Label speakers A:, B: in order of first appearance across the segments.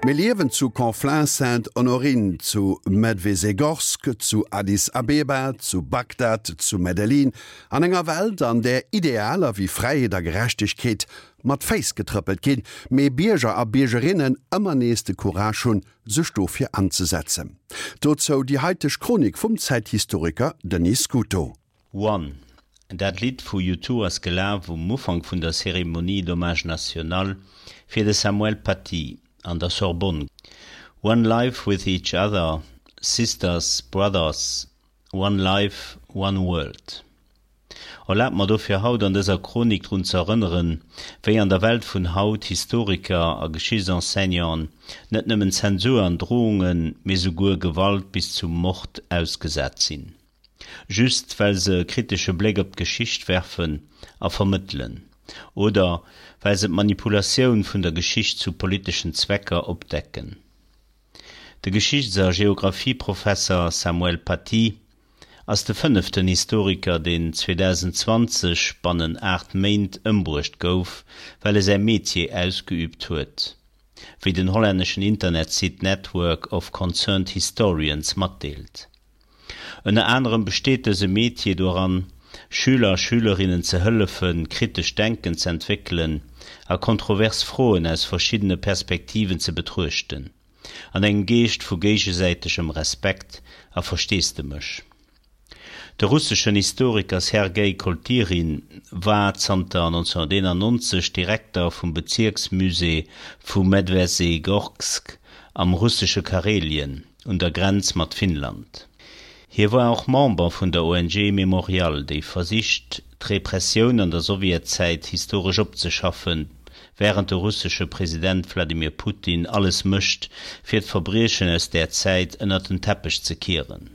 A: Mir liewen zu Conflans-Sainte-Honorine, zu Medvezhegorsk, zu Addis Abeba, zu Bagdad, zu Medellin, an enger Welt, an där Idealer wéi Fräiheet a Gerechtegkeet mat Féiss getrëppelt ginn, mee Bierger a Biergerinnen ëmmer nees de Courage hunn, sech dofir anzesetzen. Dozou déi haiteg Chronik vum Zäithistoriker Denis Scuto.
B: One, dat Lidd vu U2 ass gelaf um Ufank vun der Cérémonie d'hommage national fir de Samuel Paty an der Sorbonne. One life with each other, sisters, brothers, one life, one world. Erlaabt mer dofir haut an dëser Chronik drun ze erënneren, wéi an der Welt vun haut Historiker a Geschichtsenseignanten net nëmmen Zensur an Drohungen, mee souguer Gewalt bis zum Mord ausgesat sinn, just well se e kritesche Bléck op d'Geschicht werfen a vermëttelen oder well se d'Manipulatioun vun der Geschicht zu politeschen Zwecker opdecken. De Geschichts a Geographieprofesser Samuel Paty ass de fënneften Historiker, deen 2020 bannen 8 Méint ëmbruecht gouf, well e säi Metier ausgeüübt huet, wéi den hollänneschen Internetsite Network of Concerned Historians matdeelt. Ënner anerem besteet dëse Metier doran, Schüler a Schülerinnen ze hëllefen, kritescht Denken z'entwéckelen a kontrovers Froen aus verschiddene Perspektiven ze betruechten, an engem Geescht vu géigesäitegem Respekt a Versteesdemech. De russeschen Historiker Sergei Koltyrin war zanter 1991 Direkter vum Bezierksmusée vu Medvezhegorsk am russesche Karelien un der Grenz mat Finnland. Hie war och Member vun der ONG Memorial, déi versicht, d'Repressioun an der Sowjetzäit historesch opzeschaffen, wärend de russesche President Wladimir Putin alles mécht, fir d'Verbriechen aus där Zäit ënnert den Teppech ze kieren.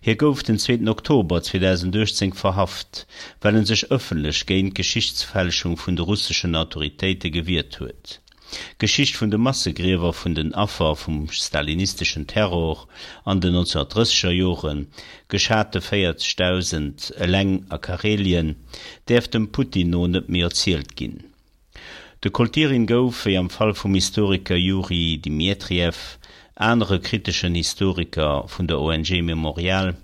B: Hie gouf den zweeten Oktober 2018 verhaft, well en sech ëffentlech géint d'Geschichtsfälschung vun de russeschen Autoritéite gewiert huet. D'Geschicht vun de Massegriewer vun den Affer vum stalinisteschen Terror an den 1930er Joren, geschate 40.000 eleng a Karelien, däerf dem Putin no net méi erzielt ginn. De Koltyrin gouf, wéi am Fall vum Historiker Juri Dmitriew, anere kriteschen Historiker vun der ONG Memorial,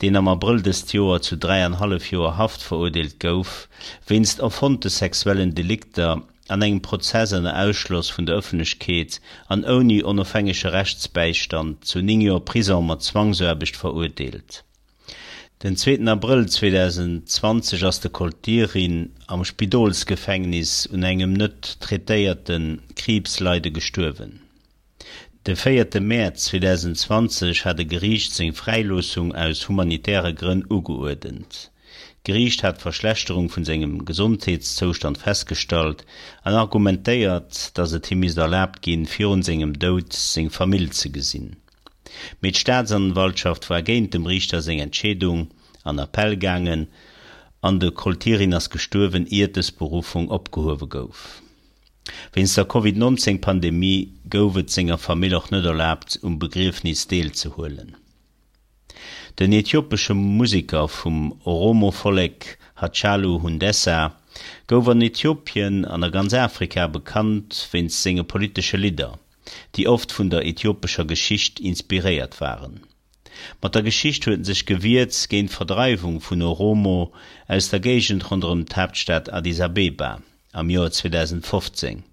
B: deen am Abrëll dëst Joer zu dräianhallef Joer Haft verurdeelt gouf, wéinst erfonnte sexuellen Delikter an engem Prozess ënner Ausschloss vun der Ëffentlechkeet an ouni onofhängege Rechtsbäistand zu 9 Joer Prisong mat Zwangsaarbecht verurdeelt. Den zweeten Abrëll 2020 ass de Koltyrin am Spidolsgefängnis un engem net traitéierte Kriibsleide gestuerwen. De véierte Mäerz 2020 hat e Geriicht seng Fräiloossung aus humanitäre Grënn ugeuerdent. D'Geriicht hat d'Verschlechterung vun sengem Gesondheetszoustand festgestallt an argumentéiert, datt et him misst erlaabt ginn, virun sengem Doud seng Famill ze gesinn. Mee d'Staatsanwaltschaft war géint dem Riichter seng Entscheedung an Appell gaangen an de Koltyrin ass gestuerwen, iert dës Beruffung opgehuewe gouf. Wéinst der Covid 19 Pandemie gouf et senger Famill och net erlaabt, um Begriefnis deelzehuelen. Den ethiopesche Museker vum Oromo-Vollek Hachalu Hundessa gouf an Ethiopien an a ganz Afrika bekannt wéinst senge politesche Lidder, déi oft vun der ethiopescher Geschicht inspiréiert waren. Mat der Geschicht huet en sech gewiert géint d'Verdreiwung vun Oromo aus der Géigend ronderëm d'Haaptstad Addis Abeba am Joer 2015.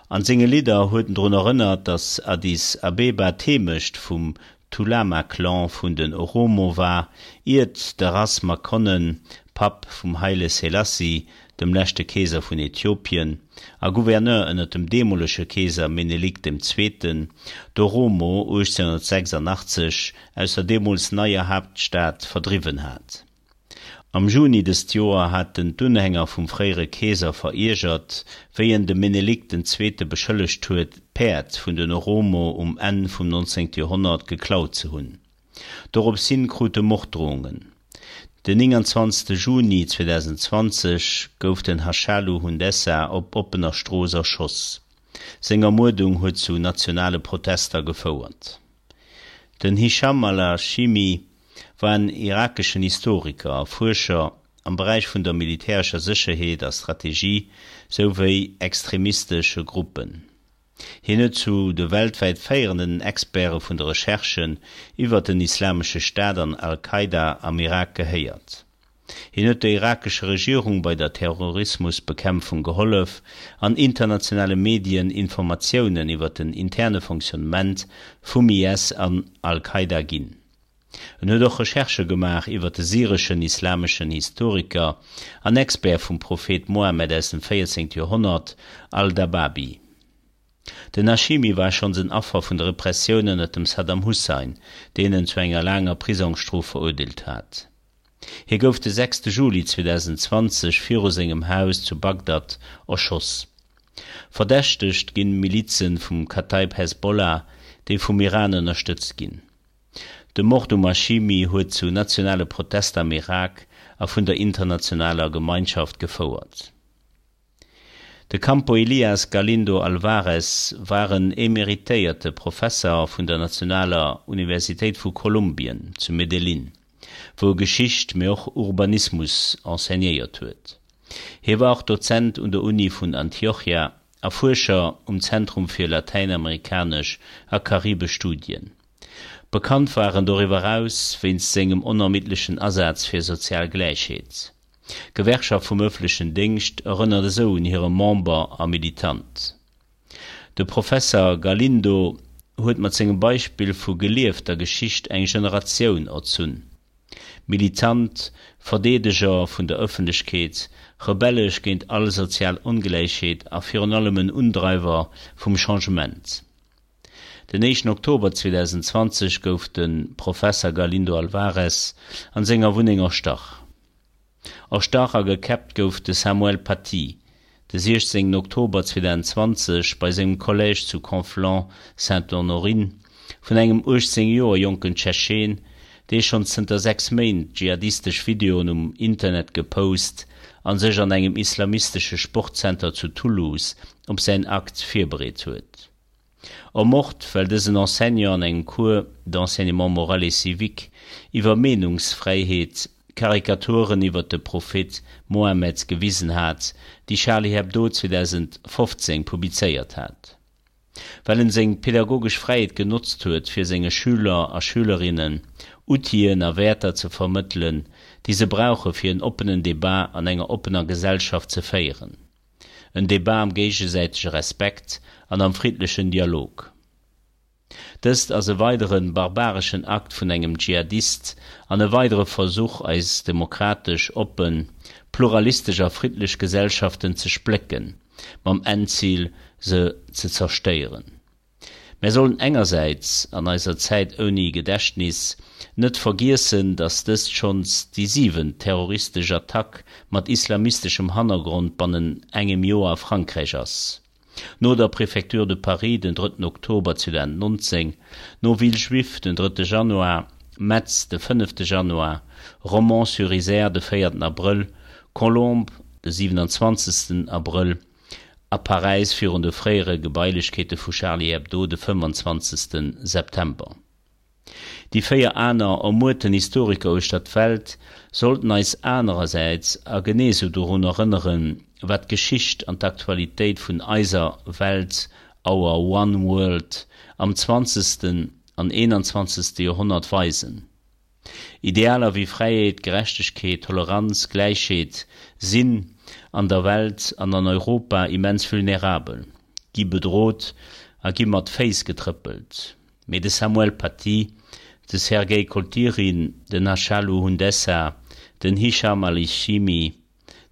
B: An senge Lidder huet en drun erënnert, datt Addis Abeba d'Heemecht vum Tulama-Clan vun den Oromo war, iert de Ras Makonnen, Papp vum Haile Selassie, dem leschte Keeser vun Äthiopien a Gouverneur ënner dem deemolege Keeser Menelik dem Zweeten, d'Oromo 1886 aus der deemools neier Haaptstad verdriwwen hat. Am Juni dëst Joer hat en d'Unhänger vum fréiere Keeser veriergert, wéi en de Menelik den Zweete beschëllegt huet, d'Päerd vun den Oromo um Enn vum 19. Joerhonnert geklaut ze hunn. Dorops hin krut e Morddrohungen. Den 29 Juni 2020 gouf den Hachalu Hundessa op oppener Strooss erschoss. Seng Ermuerdung huet zu nationale Protester gefouert. Den Hisham al-Hashimi war en irakeschen Historiker a Fuerscher am Beräich vun der militärescher Sécherheet a Strategie souwéi extremistesche Gruppen. Hien huet zu de weltwäit féierenden Experte vun de Recherchen iwwer den Islamesche Staat an Al-Qaida am Irak gehéiert. Hien huet der irakescher Regierung bei der Terrorismusbekämpfung gehollef an internationale Medien Informatiounen iwwer den interne Fonctionnement vum IS an Al-Qaida ginn. En huet och Recherchë gemaach iwwer de syreschen islameschen Historiker an Expert vum Prophet Mohammed aus dem 14. Joerhonnert, Al-Dababi. Den Hashimi war schonns en Affer vun der Repressioun ënner dem Saddam Hussein, deen en zu enger laanger Prisongsstrof verurdeelt hat. Hie gouf de 6 Juli 2020 viru sengem Haus zu Bagdad erschoss. Verdächtegt ginn Milize vum Kataib Hezbollah, déi vum Iran ënnerstëtzt ginn. De Mord um Hashimi huet zu nationale Protester am Irak a vun der internationaler Gemeinschaft gefouert. De Campo Elias Galindo Alvarez war en emeritéierte Professer vun der Nationaler Universitéit vu Kolumbien zu Medellín, wou e Geschicht, mee och Urbanismus enseignéiert huet. Hie war och Dozent un der Uni vun Antiochia a Fuerscher um Zentrum fir latäinamerikanesch a karibesch Studien. Bekannt war en doriwwer eraus wéinst sengem onermiddlechen Asaz fir sozial Gläichheet. D'Gewerkschaft vum ëffentlechen Déngscht erënnert esou un hire Member a Militant. De Professer Galindo huet mat sengem Beispill vu geliefter Geschicht eng Generatioun erzunn. Militant, Verdeedeger vun der Ëffentlechkeet, rebellesch géint all sozial Ongläichheet a virun allem en Undreiwer vum Changement. Den éischten Oktober 2020 gouf de Professer Galindo Alvarez an senger Wunneng erstach. Erstach a gekäppt gouf de Samuel Paty de 16 Oktober 2020 bei sengem Collège zu Conflans-Sainte-Honorine vun engem 18 Joer jonken Tschetscheen, dee schonn zënter 6 Méint dschihadistesch Videoen um Internet gepost a sech an engem islamistesche Sportzenter zu Toulouse op säin Akt virbereet huet. Ermort, well dësen Enseignant an engem Cours d'enseignement moral et civique iwwer Meenungsfräiheet Karikaturen iwwer de Prophet Mohammed gewisen hat, déi Charlie Hebdo 2015 publizéiert hat. Well en seng pedagogesch Fräiheet genotzt huet, fir senge Schüler a Schülerinnen Outiller a Wäerter ze vermëttelen, déi se brauche fir en oppenen Debat an enger oppener Gesellschaft ze féieren. En Debat am géigesäitege Respekt an am friddlechen Dialog. Dëst ass e weidere barbareschen Akt vun engem Dschihadist an e weidere Versuch eis demokratesch, oppen, pluralistesch a friddlech Gesellschaften ze splécken, mam Endzil se ze zerstéieren. Mär sollen engersäits, an eiser Zäit ouni Gedächtnis, net vergiessen, datt dëst schonns déi siwent terroristesch Attack mat islamisteschem Hannergrond bannen engem Joer a Frankräich ass, no der Préfecture de Paris den drëtten Oktober 2019, no Villejuif den drëtte Januar, Metz de fënnefte Januar, Romans-sur-Isère de véierten Abrëll, Colombes de 27. Abrëll, A Paräis virun de fréiere Gebailechkeete vu Charlie Hebdo de 25. September. Déi 4 aner ermuerten Historiker uechter d'Welt sollten eis anerersäits a genee sou dorun erënneren, wat d'Geschicht an d'Aktualitéit vun eiser Welt, our one world, am zwanzegsten an eenanzwanzegste Joerhonnert weisen. Idealer wéi Fräiheet, Gerechtegkeet, Toleranz, Gläichheet sinn an der Welt an an Europa immens vulnerabel, gi bedrot a gi mat Féiss getrëppelt. Mee de Samuel Paty, de Sergei Koltyrin, den Hachalu Hundessa, den Hisham al-Hishimi,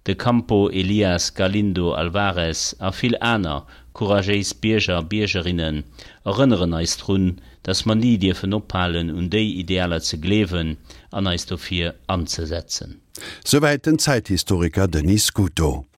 B: De Campo Elias Galindo Alvarez a vill aner couragéis Bierger a Biergerinnen erënneren eis drun, dass mer ni dierfen ophalen un déi Idealer ze gleewen an eis dofir anzesetzen.
A: Souwäit den Zäithistoriker Denis Scuto.